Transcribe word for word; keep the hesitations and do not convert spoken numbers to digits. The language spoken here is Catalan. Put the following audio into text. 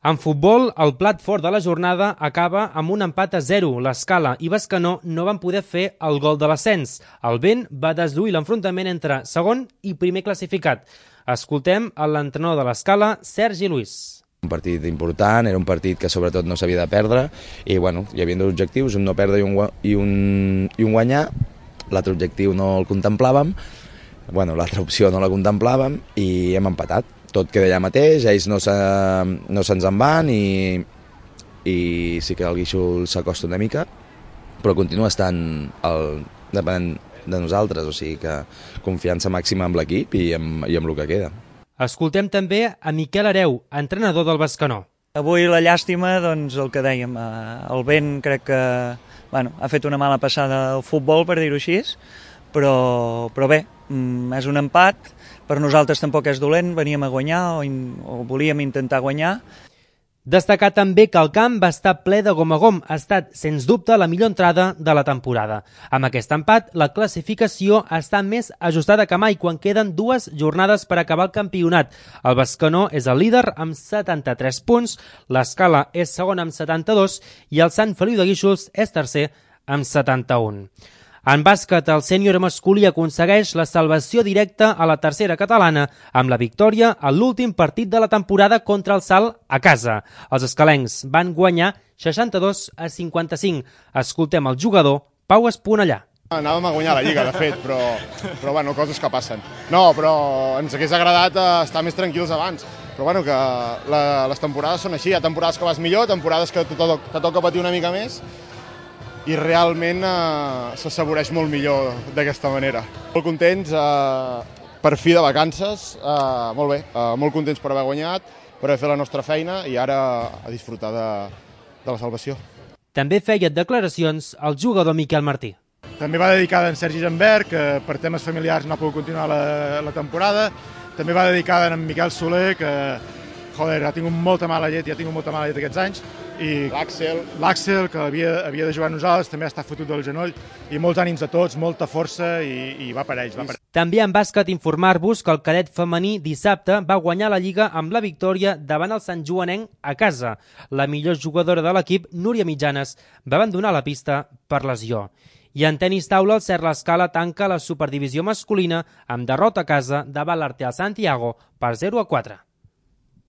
En futbol, el plat fort de la jornada acaba amb un empat a zero. L'Escala i Bescanó no van poder fer el gol de l'ascens. El vent va desduir l'enfrontament entre segon i primer classificat. Escoltem a l'entrenador de l'Escala, Sergi Luis. Un partit important, era un partit que sobretot no s'havia de perdre i bueno, hi havia dos objectius, un no perdre i un, i un, i un guanyar. L'altre objectiu no el contemplàvem, bueno, l'altra opció no la contemplàvem i hem empatat. Tot queda allà mateix, ells no, se, no se'ns en van i, i sí que el Guíxol s'acosta una mica, però continua estant el, depenent de nosaltres, o sigui que confiança màxima amb l'equip i, amb, i amb el que queda. Escoltem també a Miquel Hereu, entrenador del Bescanó. Avui la llàstima, doncs el que dèiem, el vent crec que bueno, ha fet una mala passada al futbol, per dir-ho així, però, però bé, és un empat, per nosaltres tampoc és dolent, veníem a guanyar o, in, o volíem intentar guanyar. Destacar també que el camp va estar ple de gom a gom, ha estat, sens dubte, la millor entrada de la temporada. Amb aquest empat, la classificació està més ajustada que mai quan queden dues jornades per acabar el campionat. El Bescanó és el líder amb setanta-tres punts, l'Escala és segon amb setanta-dos i el Sant Feliu de Guíxols és tercer amb setanta-un. En bàsquet, el sènior masculí aconsegueix la salvació directa a la tercera catalana amb la victòria a l'últim partit de la temporada contra el Salt a casa. Els escalencs van guanyar seixanta-dos a cinquanta-cinc. Escoltem el jugador Pau Esponellà. Anàvem a guanyar la Lliga, de fet, però, però bueno, coses que passen. No, però ens hagués agradat estar més tranquils abans. Però bueno, que la, les temporades són així. Hi ha temporades que vas millor, temporades que te, to te toca patir una mica més, i realment eh, s'assaboreix molt millor d'aquesta manera. Molt contents, eh, per fi de vacances, eh, molt bé, eh, molt contents per haver guanyat, per haver fet la nostra feina i ara a disfrutar de, de la salvació. També feia declaracions el jugador Miquel Martí. També va dedicada a en Sergi Jambert, que per temes familiars no ha pogut continuar la, la temporada. També va dedicada a en Miquel Soler, que joder, ha tingut molta mala llet i ha tingut molta mala llet aquests anys. I l'Àxel, l'Àxel, que havia, havia de jugar amb nosaltres, també està fotut del genoll, i molts ànims a tots, molta força, i, i va per ells. Va per... També en bàsquet informar-vos que el cadet femení dissabte va guanyar la Lliga amb la victòria davant el Sant Joanenc a casa. La millor jugadora de l'equip, Núria Mitjanes, va abandonar la pista per lesió. I en tenis taula, el Cert l'Escala tanca la superdivisió masculina amb derrota a casa davant l'Arteal Santiago per zero a quatre.